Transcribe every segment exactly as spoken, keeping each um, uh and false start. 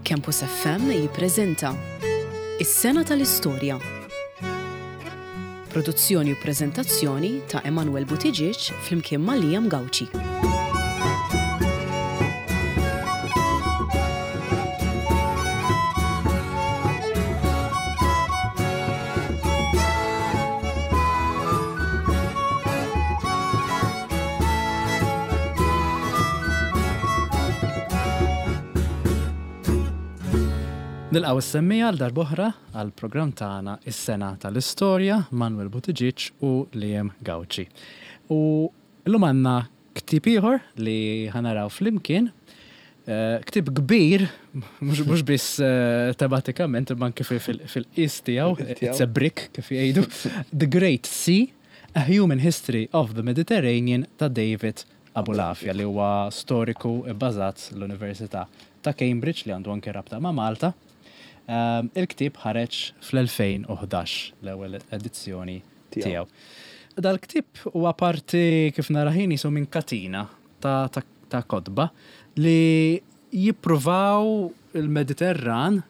Campus F M jippreżenta Is-Sena tal-Istorja. Produzzjoni u preżentazzjoni ta' Emanuel Buttigieg flimkien ma' Liam Gauci. Nilqgħu s-semmiegħa għal darb'oħra għal programm tagħna Is-Sena tal-Istorja, Manuel Buttigieg u Liam Gauci. U llum għandna ktieb ieħor li ħa naraw flimkien. Eh, Ktieb kbir, mhux biss eh, tematikament, imma anke fil-qis tiegħu, it's a brick kif jgħidu. The Great Sea, A Human History of the Mediterranean ta' David Abulafia, li huwa storiku bbażat l-Università ta' Cambridge li għandu anke rabta ma' Malta. Um, Il-ktieb ħareġ fl-elfejn u ħdax, l-ewwel edizzjoni tiegħu. Dal-ktieb huwa parti, kif narah jien, qisu minn katina ta', ta, ta' kotba li jippruvaw il-Mediterran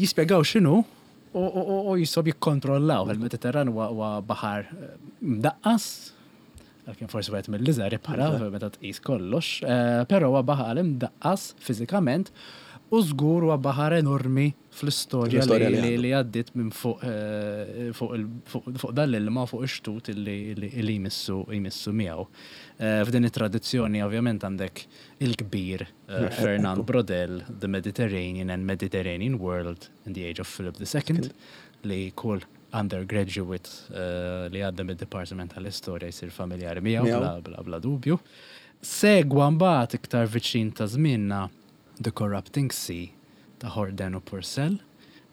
jispjegaw x'inhu u, u, u, u jisob jikkontrollaw. Il-Mediterran huwa huwa baħar eh, mdaqqas, għalkemm forsi wieħed mill-iżgħar ibħra meta tqis kollox, eh, però huwa baħar imdaqqas fiżikament u żgur huwa baħar enormi fl-istorja fl-istorja li, li li, għandu. Li għaddiet minn fuq eh, fuq il- fuq fuq dan l-ilma, fuq ix-xtut li, li, li jmissu jmissu miegħu. Eh, F'din it-tradizzjoni ovvjament għandek il-kbir eh, Fernand Braudel, The Mediterranean and Mediterranean World in the Age of Philip the Second, li kull undergraduate eh, li għadda mid-Department tal-Istorja jsir familjari miegħu Miegħu. bla, bla, bla dubju. Segwa mbagħad iktar viċin ta' żmienna The Corrupting Sea ta' Horden u Purcell,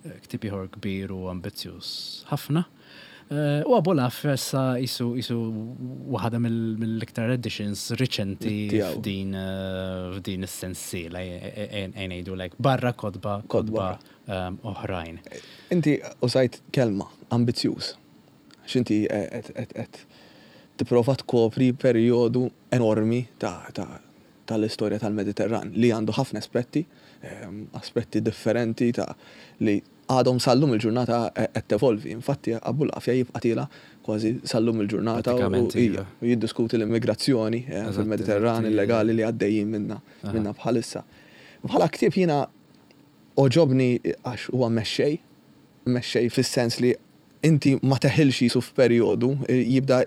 eh, ktieb ieħor kbir u ambizzjuż ħafna. Eh, U Abulafia issa qisu qisu waħda mill- mill-iktar editions riċenti Tiegħu. f'din eh, f'din is-sensiela, ngħidu like barra kotba kotba kotba ehm, oħrajn. Inti użajt kelma, ambizzjuż. X'inti qed qed qed tipprova tkopri perjodu enormi ta' ta' tal-istorja tal-Mediterran li għandu ħafna aspetti, ehm, aspetti differenti ta' li għadhom sal-lum il-ġurnata qed tevolvi. Infatti Abulafia jibqa' tiela' kważi sal-lum il-ġurnata u Pratikament, ija, iva. u jiddiskuti l-immigrazzjoni eh, Eżatt, fil-Mediterran eżatt, illegali li għaddejjin minna Aha. minna bħalissa. Bħala ktieb jiena għoġobni għax huwa mexxej, mexxej fis-sens li inti ma teħilx qisu f'perjodu, jibda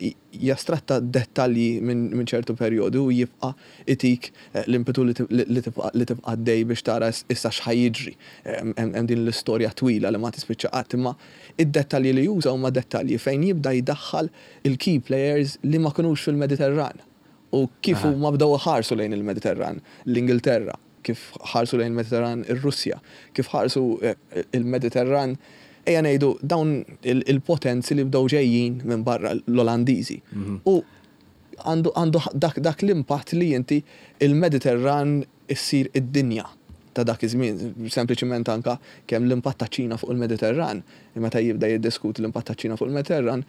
jastratta dettalji minn min ċertu perjodu u jibqa' itik eh, l-impetu li tib- li tibqa' li tibqa' għaddej biex tara issa x'ħa jiġri. Hemm hemm din l-istorja twila li ma tispiċċa qatt, imma id-dettalji li juża huma dettalji fejn jibda jdaħħal il-key players li ma kinux fil-Mediterran u kif Aha. huma bdew ħarsu lejn il-Mediterran, l-Ingilterra, kif ħarsu lejn il-Mediterran ir-Russja, kif ħarsu eh, il-Mediterran, ejja ngħidu, dawn il- il-potenzi li bdew ġejjin minn barra, l-Olandiżi. U għandu għandu dak, dak l-impatt li inti il-Mediterran issir id-dinja ta' dak iż-żmien, sempliċiment anka kemm l-impatt ta' Ċina fuq il-Mediterran, meta jibda jiddiskuti l-impatt ta' Ċina fuq il-Mediterran,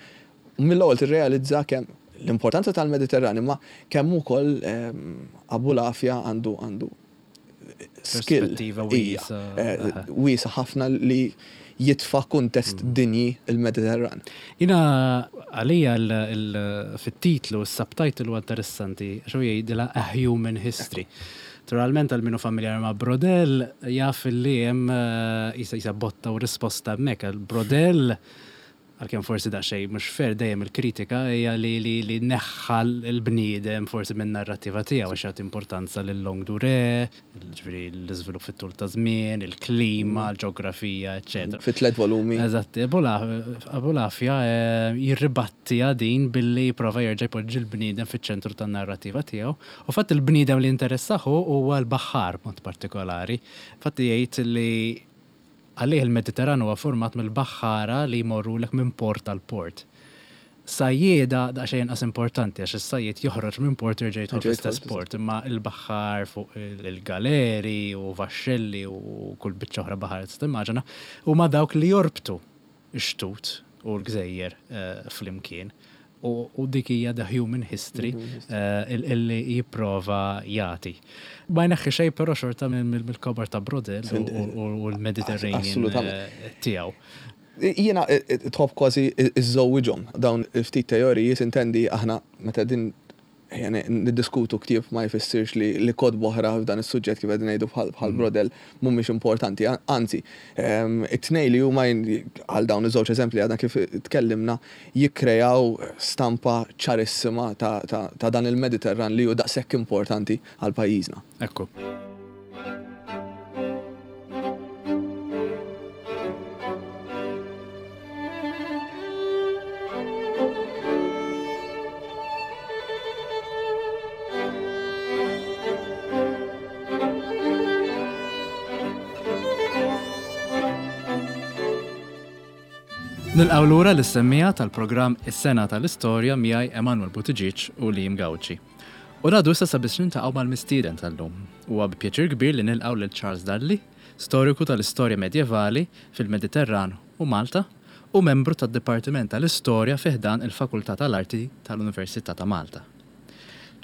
mill-ewwel tirrealizza kemm l-importanza tal-Mediterran, imma kemm ukoll ehm, Abulafia għandu għandu skill Perspettiva ija, wiesa', eh, aha. wiesa' ħafna li jitfa' kuntest dinji il-Mediterran. Jiena għalija il- il- fit-titlu, il-subtitle huwa interessanti, xo jgħidilha A Human History. Naturalment għal min hu familjari ma' Braudel jaf li hemm eh, qisha qisha botta u risposta hemmhekk. Għal Braudel, għalkemm forsi daqsxejn mhux fair, dejjem il-kritika hija li li li neħħa l-bniedem forsi minn narrativa tiegħu għax jagħti importanza lil longue durée, ġifieri l-iżvilupp fit-tul ta' żmien, il-klima, l-ġeografija, eċċetera. Fi tliet volumi. Eżatt, Abulafia eh, jirribatti din billi prova jerġa' jpoġġi l-bniedem fiċ-ċentru tan-narrativa tiegħu. U fatt il-bniedem li interessah huwa l-baħar mod partikolari. Fatti jgħid li għalih il-Mediterran huwa format mill-baħħara li jmorru lek minn port għal port. Sajjieda daqsxejn inqas importanti għax is-sajjied joħroġ minn port u jerġa' jidħol Jerġa' fl-istess jidħol port, imma il-baħħar fuq il-galeri u vaxxelli u kull biċċa oħra baħar tista' timmaġina huma dawk li jorbtu x-xtut u l-gżejjer eh, flimkien. U dik hija the human history eh, illi jipprova jagħti. Ma jneħħi xejn però xorta mill-kobor ta' Braudel u l-Mediterranean eh, tiegħu. Jiena eh, tħobb kważi iżżewwiġhom dawn ftit teoriji, sintendi aħna meta din niddiskutu ktieb ma jfissirx li li kotba oħra f'dan is-suġġett kif qegħdin ngħidu bħal mm. Braudel mhumiex importanti. Anzi, ehm, it-tnejn li huma għal dawn iż-żewġ eżempli għadna kif tkellimna jikkrejaw stampa ċarissima ta' dan il-Mediterran li hu daqshekk importanti għal pajjiżna. Ekku. Nilqgħu lura lis-semmiegħa tal-programm Is-Sena tal-Istorja miegħi Emanuel Buttigieg u Liam Gauci. U ngħaddu issa sabiex niltaqgħu mal-mistieden tal-lum. Huwa bi pjaċir kbir li nilqgħu lil Charles Dalli, storiku tal-istorja medjevali fil-Mediterran u Malta u membru tad-Dipartiment tal-Istorja fi ħdan il-Fakultà tal-Arti tal-Università ta' Malta.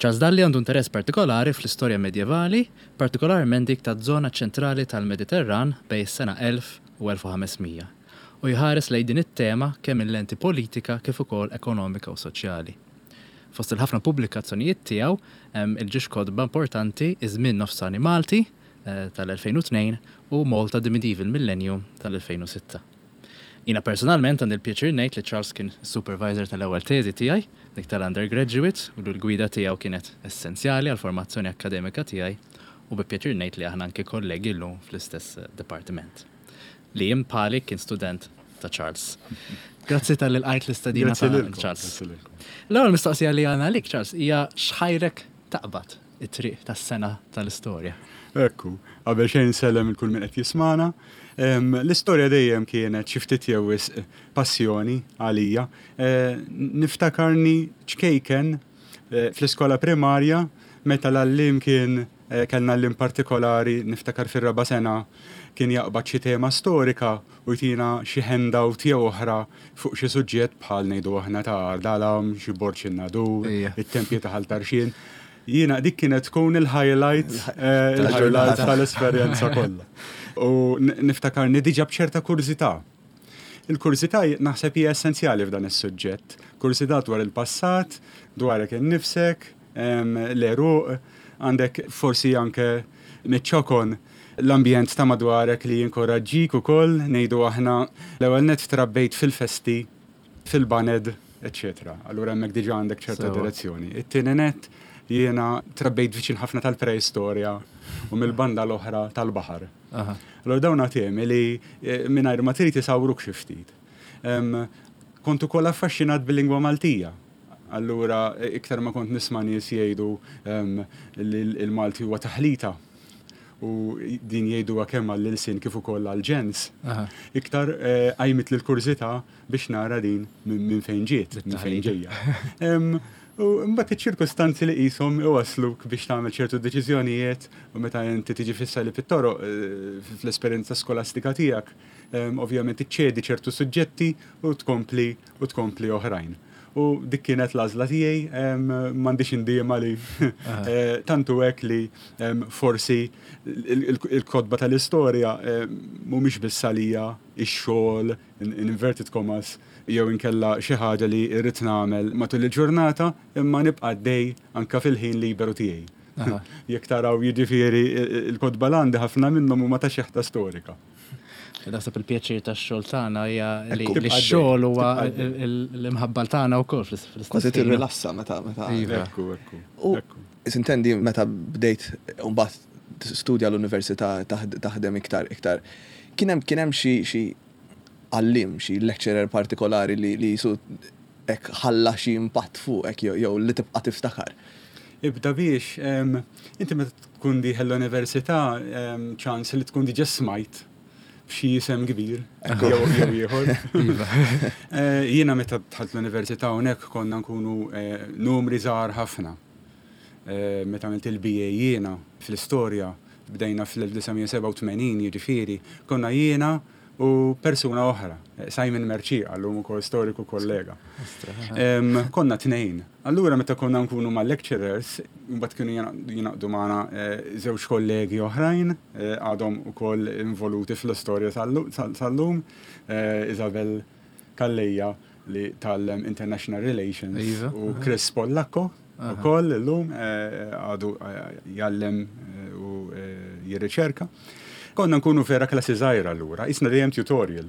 Charles Dalli għandu interess partikolari fl-istorja medjevali, partikolarment dik taż-żona ċentrali tal-Mediterran bejn is-sena elf u elf u ħamesmija, u jħares lejn din it-tema kemm minn lenti politika kif ukoll ekonomika u soċjali. Fost il-ħafna pubblikazzjonijiet tiegħu hemm il-ġiex kotba importanti Iż-żmien nofsani Malti eh, tal-elfejn u tnejn u Malta the Medieval Millennium tal-elfejn u sitta. Jiena personalment għandi l-pjaċir ngħid li Charles kien supervisor tal-ewwel teżi tiegħi, dik tal-undergraduate, u l-gwida tiegħu kienet essenzjali għall-formazzjoni akademika tiegħi, u bi pjaċir ngħid li aħna anke kollegi llum fl-istess departiment. Li bħali kien student ta' Charles. Grazzi tal-li lqajt l-istedina Grazzi ta' lilkom, Charles. grazzi lilkom. L-ewwel mistoqsija li għandna għalik, Charles, hija x'ħajrek taqbad it-triq tas-sena tal-istorja? Ekku, qabel xejn sellem il kull min qed jismana. Em, l-istorja dejjem kienet xi ftit jew wisq passjoni għalija. Eh, niftakarni ċkejken, eh, fl-iskola primarja meta l-għallim kien, eh, kellna għallim partikolari, niftakar fir-raba' sena kien jaqbad xi tema storika u jtina xi handout jew oħra fuq xi suġġett bħal ngħidu aħna ta' Ardalam, xi Borġ in-Nadur, Ija. it-tempji ta' Ħal Tarxien. Jiena dik kienet tkun il-highlight, eh, il-highlight tal-esperjenza kollha. U n-, niftakarni diġà b'ċerta kurżità. Il-kurżità naħseb hija essenzjali f'dan is-suġġett. Kurżità dwar il-passat, dwarek innifsek, em, l-għeruq, għandek forsi anke miċ-ċokon l-ambjent ta' madwarek li jinkoraġġik ukoll, ngħidu aħna l-ewwel nett trabbejt fil-festi, fil-baned, eċċetera. Allura hemmhekk diġà għandek ċerta Sewa. direzzjoni. It-tieni nett jiena trabbejt viċin ħafna tal-preistorja u mill-banda l-oħra tal-baħar. Aha. Allura dawn temi li, eh, mingħajr ma trid isawruk xi ftit. Em, kont ukoll affaxxinat bil-lingwa Maltija. Allura iktar ma kont nisma' nies jgħidu, em, li l-Malti huwa taħlita u din jgħiduha kemm għall-ilsien kif ukoll għall-ġens. Aha. Iktar, eh, qajmit l-kurżità biex nara din minn, minn fejn ġiet, minn fejn Bit-taħlita. ġejja. Em, u mbagħad iċ-ċirkustanzi li qishom iwasluk biex tagħmel ċertu deċiżjonijiet u meta inti tiġi fissa li fit-toroq, eh, fl-esperjenza skolastika tiegħek, em, ovvjament iċċedi ċertu suġġetti u tkompli u tkompli oħrajn. U dik kienet l-għażla tiegħi, em, m'għandix indiema li, Aha. eh, tantu hekk li, em, forsi il-, il-, il-kotba tal-istorja, em, mhumiex biss għalija ix-xogħol in, in inverted commas jew inkella xi ħaġa li rrid nagħmel matul il-ġurnata, imma nibqa' għaddej anke fil-ħin liberu tiegħi. Aha. Jekk taraw jiġifieri il-kotba l-għandi ħafna minnhom huma ta' xeħta storika. Naħseb il-pjaċir tax-xogħol tagħna hija li Ekku. li x-xogħol huwa Tibqa' għaddej. il-, il-, l-imħabba tagħna wkoll fl-istess Kważi ħin. tirrilassa meta, meta. Iva. Ekku, ekku, U ekku. sintendi meta bdejt mbagħad studja l-università taħd-, taħdem iktar, iktar. Kien hemm, kien hemm xi, xi għallim, xi lecturer partikolari li, li jisu hekk ħalla xi impatt fuqek jew, jew li tibqa' tiftakar. Ibda biex, em, inti meta tkun dieħel l-università, em, ċans li tkun diġà smajt b'xi isem kbir, Ekku. jew, jew ieħor. Iva. Eh, jiena meta dħalt l-università hawnhekk konna nkunu, eh, numri żgħar ħafna. Eh, meta għamilt il-B A jiena fl-istorja, bdejna fl-elf disa' mija sebgħa u tmenin, jiġifieri, konna jiena u persuna oħra, Simon Mercieca, llum ukoll storiku kollega. Konna tnejn. Allura meta konna nkunu ma' lecturers, mbagħad kienu jingħaqdu magħna żewġ kollegi oħrajn, għadhom ukoll involuti fl-istorja tal-lum, Isabel Calleja li tgħallem International Relations Iva. u Chris Pollacco ukoll illum għadu jgħallem u jirriċerka. Konna nkunu vera klassi żgħira allura, qisna dejjem tutorial.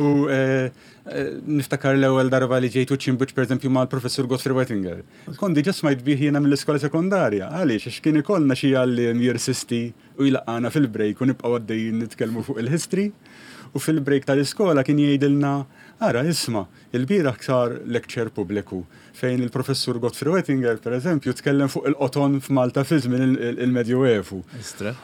U niftakar l-ewwel darba li ġejtu ċimbuċ pereżempju mal-professur Godfrey Wettinger. Kont diġà smajt bih jiena mill-iskola sekondarja, għaliex għax kien ikollna xi għalliem jirsisti u jlaqqana fil-break u nibqgħu għaddejjin nitkellmu fuq il-history. U fil-break tal-iskola kien jgħidilna, ara isma', il-bieraħ sar lecture pubbliku fejn il-professur Godfrey Wettinger, per eżempju, tkellem fuq il-qoton f'Malta fi żmien il-Medjuevu.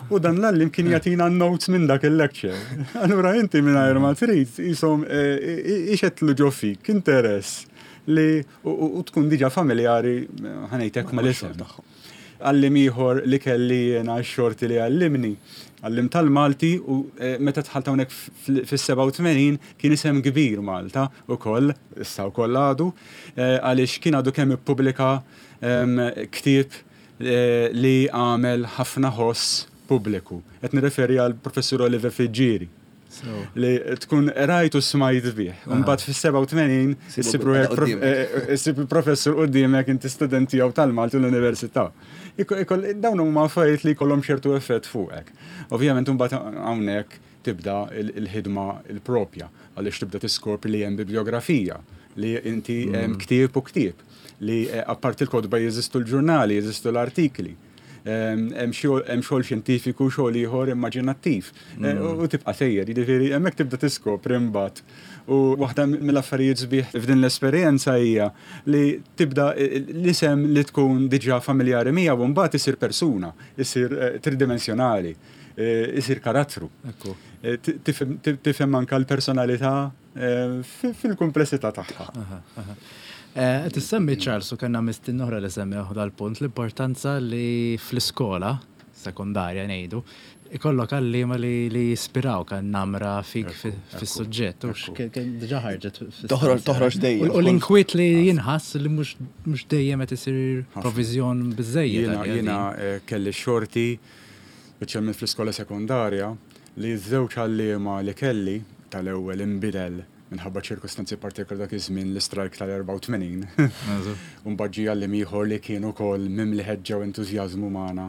U dan l-għalliem kien jagħtina notes minn dak il-lecture. Allura inti mingħajr ma trid jisom ixetlu ġo fik interess li u tkun diġà familjari ħa ngħidlek mal-isem tagħhom. Għalliem ieħor li kelli jiena x-xorti li għallimni, għalliem tal-Malti u meta dħalt hawnhekk fis-sebgħa u tmenin kien isem kbir Malta ukoll, issa wkoll għadu, għaliex kien għadu kemm ippubblika ktieb li għamel ħafna ħoss pubbliku. Qed nirreferi għal professur Oliver Friggieri. Li tkun rajtu smajt bih. Mbagħad fis-sebgħa u tmenin issib il-professur quddiemek inti student tiegħu tal-Malti l-Università. Dawn huma affarijiet li jkollhom ċertu effett fuqek. Ovvjament imbagħad hawnhekk tibda il-ħidma il-propja għaliex tibda tiskopri li hemm bibliografija, li inti hemm ktieb u ktieb, li apparti l-kotba jeżistu l-ġurnali, jeżistu l-artikli. Hemm xogħol xjentifiku, xogħol ieħor immaġinattiv. U tibqa' sejjer, jiġifieri hemmhekk tibda tiskopri imbagħad. U waħda mill-affarijiet sbieħ f'din l-esperjenza hija li tibda l-isem li tkun diġà familjari miegħu u mbagħad isir persuna, isir tridimensjonali, isir karattru. Tifhem anke l-personalità fil-komplessità tagħha. Tissemmi Charles u kellna mistieden oħra li semmew dal-punt l-importanza li fl-iskola sekondarja ngħidu ikollok għalliema li li jispiraw kan namra fik fis-suġġett u diġà ħarġet. Toħroġ dejjem. U l-inkwiet li jinħass li mhux dejjem qed isir proviżjon biżejjed. Jiena kelli xorti speċjalment fl-iskola sekondarja li ż-żewġ għalliema li kelli tal-ewwel inbidel minħabba ċirkustanzi partikolari dak iż-żmien l-istrajk tal-erbgħa u tmenin. U mbagħad ġie għalliem ieħor li kien ukoll mimli ħeġġa u entużjażmu magħna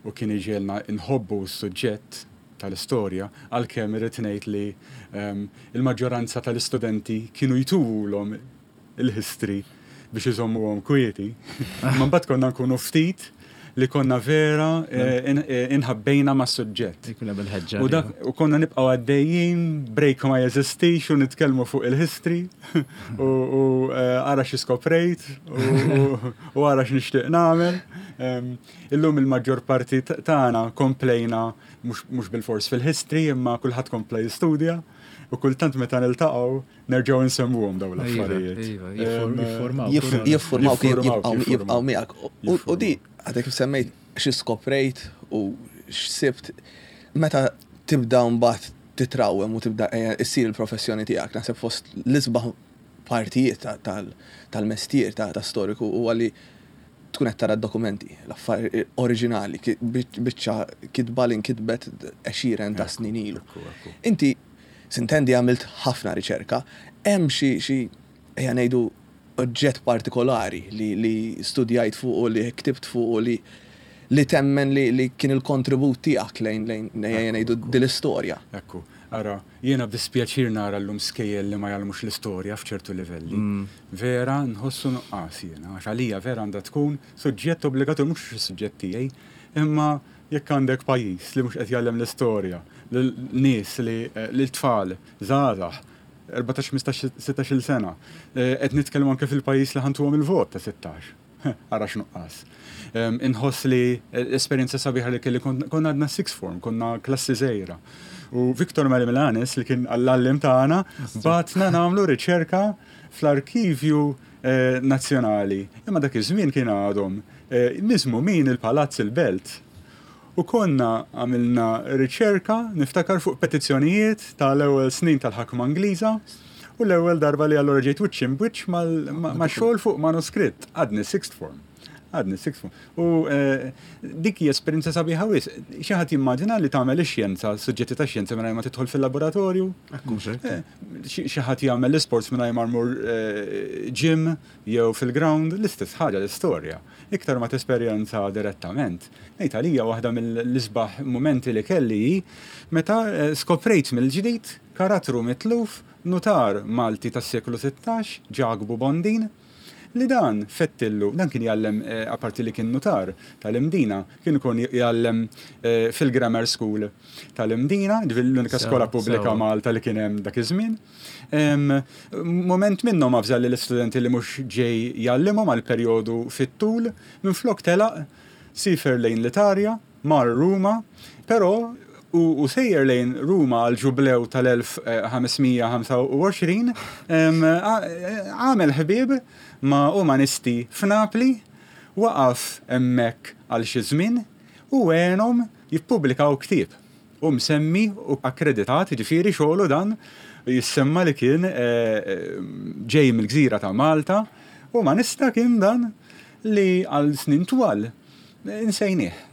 u kien iġielna nħobbu s-suġġett tal-istorja, għalkemm irrid ngħid li il-maġġoranza tal-istudenti kienu jtuwulhom il-history biex iżommuhom kwieti. Ma mbagħad konna nkunu ftit li konna vera inħabbejna ma' suġġett. U dak u konna nibqgħu għaddejjin, break ma jeżistix u nitkellmu fuq il-history u ara xi skoprejt u ara x'nixtieq nagħmel. Illum il-maġġor parti tagħna komplejna mhux bil-fors fil-history imma kulħadd kompla jistudja u kultant meta niltaqgħu nerġgħu nsemmuhom dawn l-affarijiet. Jiffurmaw jibqgħu miegħek. U di għadek kif semmejt xi skoprejt u x'sibt meta tibda mbagħad titrawem u tibda issir il-professjoni tiegħek, naħseb fost l-isbaħ partijiet tal-mestier ta' storiku huwa li tkun qed tara d-dokumenti, l-affarijiet oriġinali, biċċa kitba li nkitbet għexieren ta' snin ilu. Inti sintendi għamilt ħafna riċerka, hemm xi xi ejja ngħidu oġġett partikolari li, li studjajt fuq u li ktibt fuq u li li temmen li, li kien il-kontribut tiegħek lejn lejn ejja ngħidu din l-istorja. Ekku, ara, jiena b'dispjaċir nara llum skejjel li ma jgħallmux l-istorja f'ċertu livelli. Vera nħossu nuqqas jiena, għax għalija vera għandha tkun suġġett obbligatorju, mhux is-suġġett tiegħi, imma jekk għandek pajjiż li mhux qed jgħallem l-istorja, lin-nies li l-tfal żgħażagħ erbatax, ħmistax, sittax-il sena, qed nitkellmu anke fil-pajjiż li ħantuhom il-vot ta' sittax. Ara x'nuqqas. Inħoss li l-esperjenza sabiħa li kelli konna għadna sixth form, konna klassi żgħira. U Victor Mary Milanes li kien għall-għallim tagħna batna nagħmlu riċerka fl-arkivju nazzjonali. Imma dak iż-żmien kien għadhom miżmu min il-Palazz il-Belt. U konna għamilna riċerka, niftakar, fuq petizzjonijiet tal-ewwel snin tal-ħakma Ingliża u l-ewwel darba li allura ġejt wiċċ imb'wiċċ ma' xogħol fuq manuskritt, għadni sixth form. Għadni sixth form. U eh, dik hija esperjenza sabiħa wisq. Xi ħadd jimmaġina li tagħmel ix-xjenza, suġġetti ta' xjenza, mingħajr ma tidħol fil-laboratorju? Eh, xi ħadd jagħmel l-isports mingħajr ma jmur eh, gym jew fil-ground? L-istess ħaġa l-istorja. Iktar ma tesperjenza direttament. Ngħid għalija waħda mill-isbaħ momenti li kelli meta skoprejt mill-ġdid karattru mitluf, nutar Malti tas-seklu sittax, Ġakbu Bondin, li dan fettillu, dan kien jgħallem, eh, apparti li kien nutar tal-Imdina, kien ikun jgħallem eh, fil-Grammar School tal-Imdina, l-unika skola pubblika Malta li kien hemm dak iż-żmien. Moment minnhom avża l-istudenti li mhux ġej jgħallimhom għal perjodu fit-tul, minflok telaq, siefer lejn l-Italja, mar Ruma, però u sejjer lejn Ruma għal ġublew tal-elf ħames mija ħamsa u għoxrin, għamel ħbieb ma' umanisti f'Napli, waqaf hemmhekk għal xi żmien u għenhom jippubblikaw ktieb. U msemmi u akkreditat, ġifieri xogħlu dan jissemma li kien eh, ġej mill-gżira ta' Malta, umanista kien dan li għal snin twal insejnieh.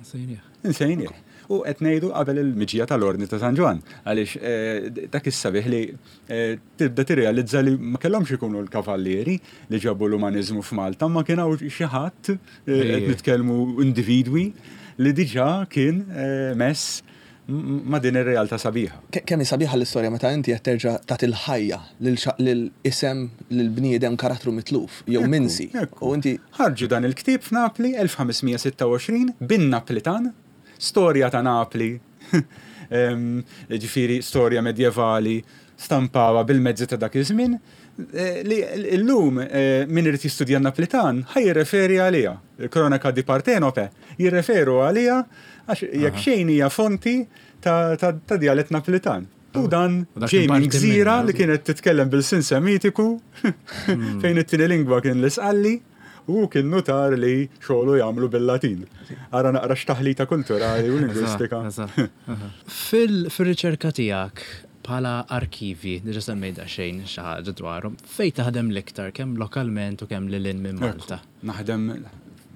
Insejnieh. U qed ngħidu qabel il-miġija tal-Ordni ta' San Ġwann, għaliex eh, dak is-sabiħ li eh, tibda tirrealizza li ma kellhomx ikunu l-kavallieri li ġabu l-umanizmu f'Malta, ma kien hawn xi ħadd, eh, qed nitkellmu individwi li diġà kien mess ma' din ir-realtà sabiħa. Kemm hi sabiħa l-istorja meta inti qed terġa' tagħti l-ħajja lil isem, lil bniedem, karattru mitluf jew minsi. U inti ħarġu dan il-ktieb f'Napli elf ħames mija sitta u għoxrin bin-Naplitan, storja ta' Napli, ġifieri storja medjevali, stampawa bil-mezzi ta' dak iż-żmien, eh, li l-lum eh, min irid jistudja Naplitan ħa jirreferi għaliha. Il-Cronaca di Partenope jirreferu għaliha għax jekk xejn hija fonti ta', ta, ta djalett Naplitan. U dan ġej minn gżira li kienet titkellem bil-sin Semitiku, fejn it-tieni lingwa kien l-Isqalli, u kien nutar li xogħlu jagħmlu bil-Latin. Ara naqra x'taħlita kulturali u lingwistika. Fil-riċerka tiegħek bħala arkivi, diġa semmejt xejn xi ħaġa dwarhom, fejn taħdem l-iktar, kemm lokalment u kemm lil minn Malta? Naħdem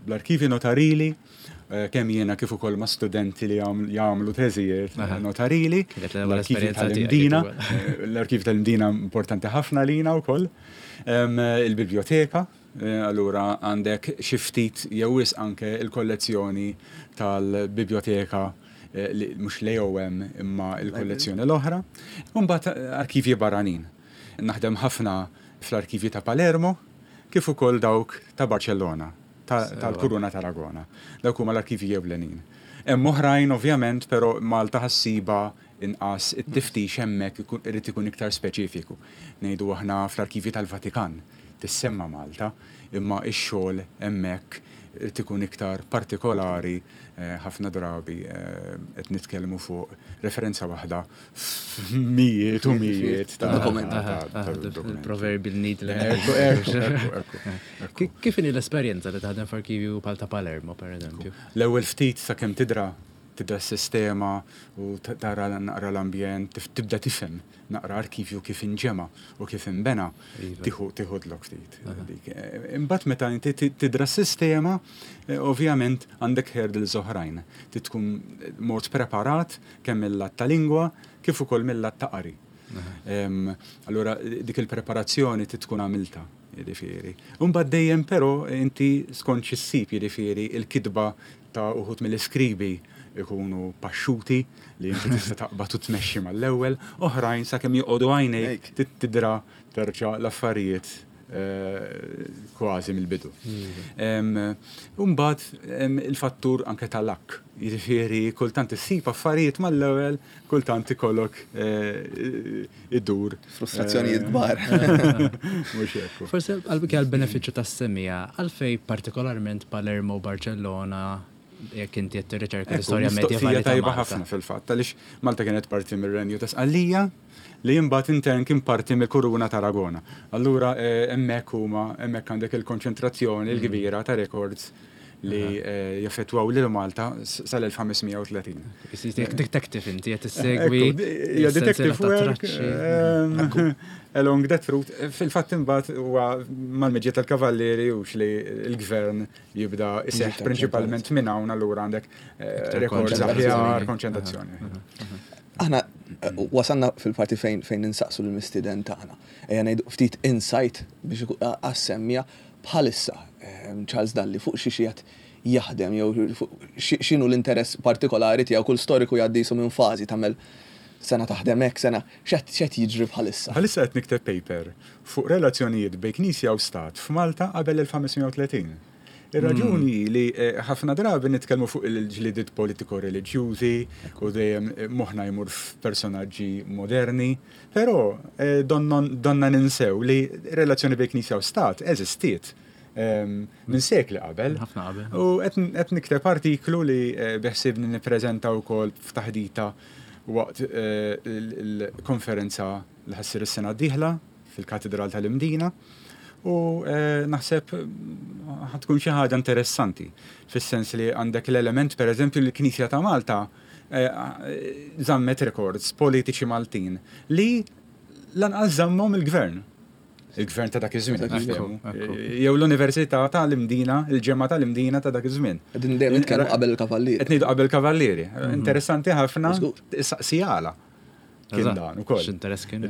bl-arkivi notarili, eh, kemm jiena kif ukoll ma' studenti li jagħmlu teżijiet notarili. L-arkivi tal-Imdina, eh, l-arkivi tal-Imdina importanti ħafna lina wkoll. Il-biblioteka, eh, allura għandek xi ftit jew anke il-kollezzjoni tal-biblioteka, mhux l-A O M imma il-kollezzjoni l-oħra. Mbagħad arkivji barranin. Naħdem ħafna fl-arkivji ta' Palermo kif ukoll dawk ta' Barcellona tal-Kuruna tal-Aragona. Dawk huma l-arkivji ewlenin. Hemm oħrajn ovvjament, però Malta ħa ssibha inqas, it-tiftix hemmhekk irid ikun iktar speċifiku. Ngħidu aħna fl-arkivji tal-Vatikan tissemma Malta, imma ix-xogħol hemmhekk irid ikun iktar partikolari, eh, ħafna drabi eh, qed nitkellmu fuq referenza waħda f'mijiet u mijiet ta' dokumenti. Proverbial needle. Kif inhi l-esperjenza li taħdem f'arkivju bħal ta' Palermo, per eżempju? L-ewwel ftit sakemm tidra tibda s-sistema u tara naqra l-ambjent, tibda tifhem naqra arkivju kif inġema u kif inbena, iva. tieħu tieħudlok ftit. Eh, imbagħad meta inti tidra s-sistema, eh, ovvjament għandek hurdles oħrajn. Tkun mort preparat kemm mill-lat ta' lingwa kif ukoll mill-lat ta' qari. Allura dik il-preparazzjoni tkun għamilta, jiġifieri. Imbagħad dejjem però inti skont x'issib, jiġifieri il-kitba ta' uħud mill-iskribi ikunu paxxuti li inti tista' taqbad u tmexxi mal-ewwel, oħrajn sakemm joqogħdu għajnejk tidra terġa' l-affarijiet eh, kważi mill-bidu. Imbagħad il-fattur anke tal-lak, jiġifieri kultant issib affarijiet mal-ewwel, kultant ikollok eh, iddur. Frustrazzjonijiet kbar. Mhux hekk. Forsi għal benefiċċju tas-semmiegħa, għalfej partikolarment Palermo, Barcellona, jekk inti qed tirriċerka l-istorja medjevali? Tajba ħafna fil-fatt, għaliex Malta kienet parti mir-Renju ta' Sqallija li imbagħad intern kien parti mill-Kuruna ta' Aragona. Allura eh, hemmhekk huma hemmhekk għandek il-konċentrazzjoni l-kbira ta' records li eh, jaffettwaw lil Malta sal-elf ħames mija u tletin. Detective inti qed issegwi. Hija detective work ehm, along that route. Fil-fatt imbagħad huwa mal-miġja tal-kavallieri hux li l-gvern jibda iseħħ prinċipalment minn hawn, allura għandek eh, rekords aħjar, konċentrazzjoni. Aħna eh, wasalna fil-parti fejn fejn ninsaqsu l-mistiden tagħna. Ejja ngħidu ftit insight biex għas-semmija bħalissa Charles Dalli fuq xi qiegħed jaħdem jew x'inhu l-interess partikolari tiegħu. Kull storiku jgħaddi jisu minn fażi tagħmel sena taħdem hekk, sena x'qed jiġri bħalissa. Bħalissa qed nikteb paper fuq relazzjonijiet bejn Knisja u Stat f'Malta qabel elf ħames mija u tletin. Ir-raġuni li ħafna drabi nitkellmu fuq il-ġlidiet politiko-reliġjużi u dejjem moħħna jmur f'personaġġi moderni, però donna ninsew li relazzjoni bejn Knisja u Stat eżistiet minn sekli qabel. Ħafna qabel. U qed nikteb artiklu li beħsibni nippreżenta wkoll f'taħdita waqt il-konferenza li ħassir is-sena d-dieħla fil-Katedral tal-Imdina. U naħseb ħatkun xi ħaġa interessanti fis-sens li għandek l-element pereżempju li l-Knisja ta' Malta żammet records politiċi Maltin li lanqas żammhom il-gvern. Il-gvern ta' dak iż-żmien, jew l-Università tal-Imdina, il-ġemgħa tal-Imdina ta' dak iż-żmien. Qegħdin dejjem nitkellmu qabel il-kavallieri. Qed ngħidu qabel il-kavallieri. Interessanti ħafna, saqsi għala. Kien dan ukoll. X'interess kien.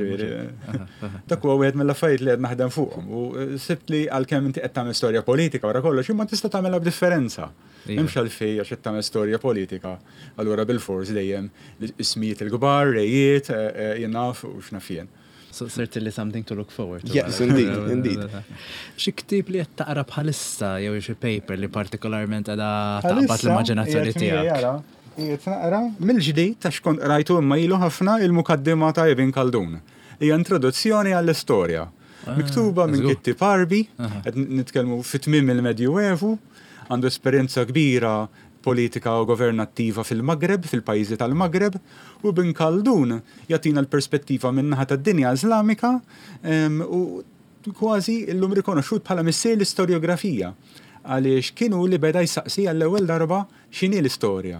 Dak huwa wieħed mill-affarijiet li qed naħdem fuqhom. U sibt li għalkemm inti qed tagħmel storja politika wara kollox, imma tista' tagħmilha b'differenza. M'hemmx għalfejn għax qed tagħmel storja politika. Allura bil-fors dejjem ismijiet il-kbar, rejiet, jien naf u x'naf jien. So certainly something to look forward to. Yes, indeed, indeed. Xi ktieb li qed taqra bħalissa jew xi paper li partikolarment qiegħda taqbad l-immaġinazzjoni tiegħek? Qiegħed naqra mill-ġdid ta' xkont qrajtu imma ilu ħafna il-mukaddima ta' Ibn Khaldun. Hija introduzzjoni għall-istorja. Miktuba minn kittib Għarbi, qed nitkellmu fi tmiem il-Medjuevu, għandu esperjenza kbira politika u governattiva fil-Maghreb, fil-pajjiżi tal-Maghreb, u Ibn Khaldun jagħtina l-perspettiva min-naħa tad-dinja Iżlamika u kważi llum rikonoxxut bħala missier l-istorjografija, għaliex kienu li beda jsaqsi għall-ewwel darba x'inhi l-istorja,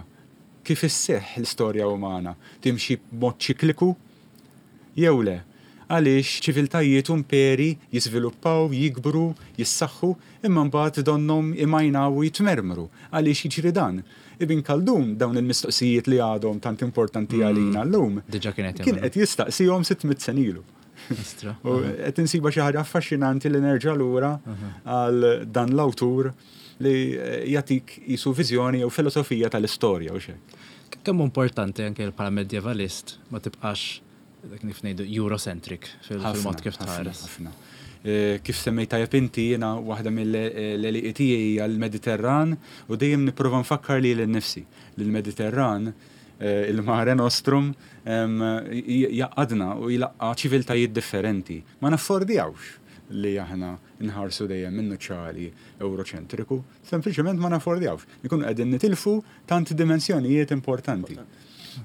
kif isseħħ l-istorja umana, timxi b'mod ċikliku jew le, għaliex ċiviltajiet u imperi jiżviluppaw, jikbru, jissaħħu, imma mbagħad donnhom imajnaw u jitmermru. Għaliex jiġri dan? Ibn Khaldun dawn il-mistoqsijiet li għadhom tant importanti għalina llum, Diġà kien qed kien qed jistaqsihom sitt mitt sena ilu. U qed insiba xi ħaġa affaxxinanti li nerġa' lura għal dan l-awtur li jagħtik jisu viżjoni jew filosofija tal-istorja u xejn. Kemm importanti anke bħala medievalist ma tibqax dak kif ngħidu Eurocentric fil-mod kif tħares. Ħafna. Kif semmejt tajjeb inti, jiena waħda mill-għelieqi tiegħi hija l-Mediterran u dejjem nipprova nfakkar lili nnifsi li l-Mediterran, il-Mare Nostrum, jaqadna u jlaqqa ċiviltajiet differenti. Ma naffordjawx li aħna nħarsu dejjem minnu ċali euroċentriku, sempliċement ma naffordjawx. Ikunu qegħdin nitilfu tant dimensjonijiet importanti.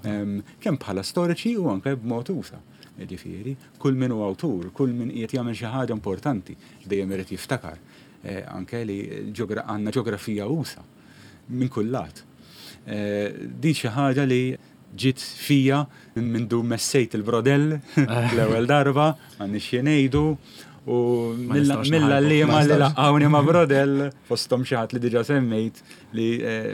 Kemm bħala storiċi u anke b'mod usa. Jiġifieri, kull min hu awtur, kull min qiegħed jagħmel xi ħaġa importanti, dejjem irid jiftakar anke li għandna ġeografija usa minn kull lat. Din xi ħaġa li ġiet fija minn du messejt il-brodell l-ewwel darba, m'għandniex xi ngħidu, u mill-għalliema li laqgħuni ma' brodell, fosthom xi ħadd li diġà semmejt li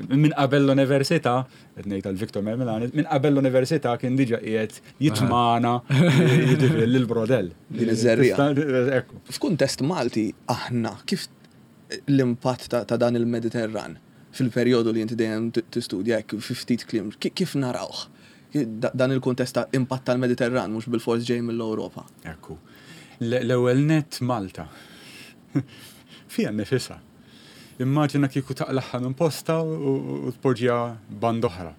minn qabel l-università, qed ngħid għal Victor Mermelani, minn qabel l-università kien diġà qiegħed jitmana jiġifieri lill-brodell. Din iż-żerriegħa. F'kuntest Malti aħna kif l-impatt ta' dan il-Mediterran fil-perjodu li inti dejjem tistudja hekk fi ftit kliem, kif narawh? Dan il-kuntest ta' impatt tal-Mediterran mhux bil-fors ġej mill-Ewropa. Ekku. L-ewwel nett Malta. Fija nnifisha. Immaġina kieku taqlaħħa minn posta u tpoġġiha band oħra.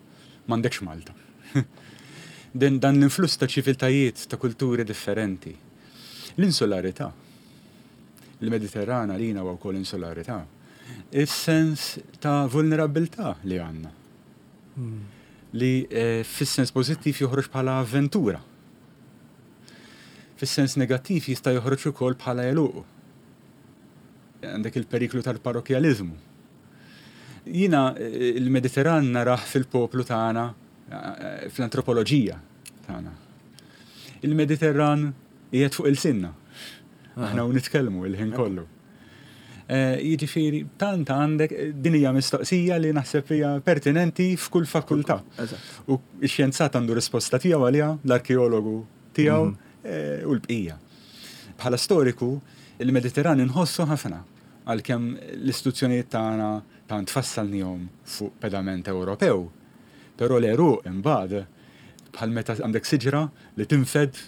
M'għandekx Malta. Dan l-influss ta' ċiviltajiet ta' kulturi differenti. L-insularità. Il-Mediterran għalina huwa wkoll insularità. Is-sens ta' vulnerabilità li għandna. Li fis-sens pożittiv joħroġ bħala avventura. Fis-sens negattiv jista' joħroġ ukoll bħala għeluq. Għandek il-periklu tal-parrokjaliżmu. Jiena eh, il-Mediterran narah fil-poplu tagħna, eh, fl-antropoloġija tagħna. Il-Mediterran qiegħed fuq ilsienna. Aħna u nitkellmu il-ħin kollu. Eh, Jiġifieri, tant għandek, din hija mistoqsija li naħseb hija pertinenti f'kull fakultà. Eżatt. U x-xjenzat għandu risposta tiegħu għaliha, l-arkeologu tiegħu eh, u l-bqija. Bħala storiku, il-Mediterran inħossu ħafna għalkemm l-istituzzjonijiet tagħna tant fassalnihom fuq pedament Ewropew. Però l-għeruq imbagħad bħal meta għandek siġra li tinfed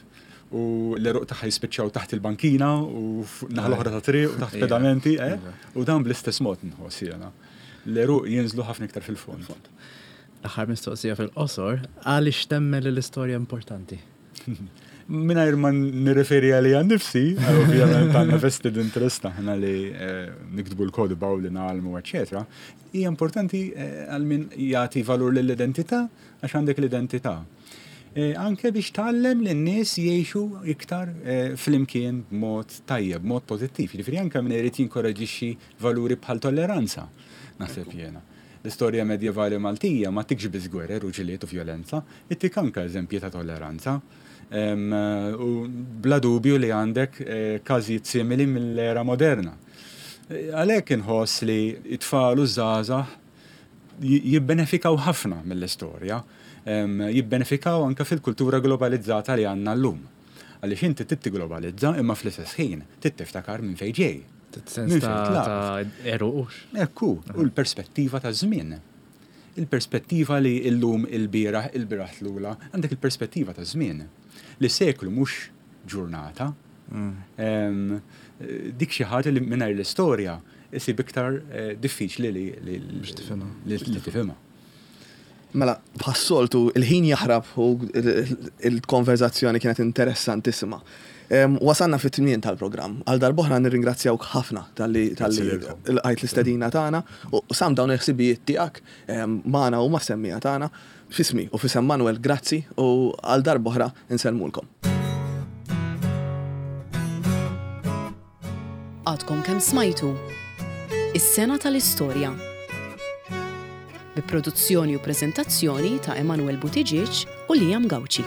u l-għeruq tagħha jispiċċaw taħt il-bankina u fuq naħa l-oħra ta' triq u taħt Ija. pedamenti, eh? Iva. U dan bl-istess mod nħoss jiena. L-għeruq jinżlu ħafna iktar fil-fond. L-aħħar mistoqsija fil-qosor, għaliex temmen li l-istorja importanti? Mingħajr ma nirreferi għalija nnifsi, ovvjament għandna vested interest aħna li eh, niktbu l-kotba u li ngħallmu, eccetera. Hija importanti eh, għal min jagħti valur lill-identità għax għandek l-identità. Eh, Anke biex tgħallem lin-nies jgħixu iktar eh, flimkien b'mod tajjeb, b'mod pożittiv. Jiġifieri anke min irid jinkoraġixxi valuri bħal tolleranza, naħseb jiena. L-istorja medjevali Maltija ma ttikx biss gwerer u ġlied u violenza, ittik anke eżempji ta' tolleranza. Em, U bla dubju li għandek eh, każijiet simili mill-era moderna. Eh, Għalhekk inħoss li it-tfal u żgħażagħ j- jibbenefikaw ħafna mill-istorja, em, jibbenefikaw anke fil-kultura globalizzata li għandna llum. Għaliex inti trid tigglobalizza imma fl-istess ħin trid tiftakar minn fejn ġej. Sens Minn ta' fejn tlaqt. ta' għeruq. Ekku, u l-perspettiva ta' żmien. Il-perspettiva li illum il-bieraħ, il-bieraħ tlula, għandek il-perspettiva ta' żmien. Li seklu mhux ġurnata. Em, eh, Dik xi ħaġa li mingħajr l-istorja isib iktar eh, diffiċli li li Biex tifhimha. li li tifhimha. Mela, bħas-soltu, il-ħin jaħrab u il-konverzazzjoni kienet interessantissima. Em, Wasanna fit-tmien tal-programm. Għal darb'oħra nirringrazzjawk ħafna talli talli Grazzi lilkom. lqajt l-istedina tagħna u qsamt dawn il-ħsibijiet tiegħek em, magħna u mas-semmiegħa tagħna f'ismi u f'isem Manuel grazzi u għal darb'oħra insellmulkom. Għadkom kemm smajtu. Is-sena tal-istorja. Bi produzzjoni u preżentazzjoni ta' Emanuel Buttigieg u Liam Gauci.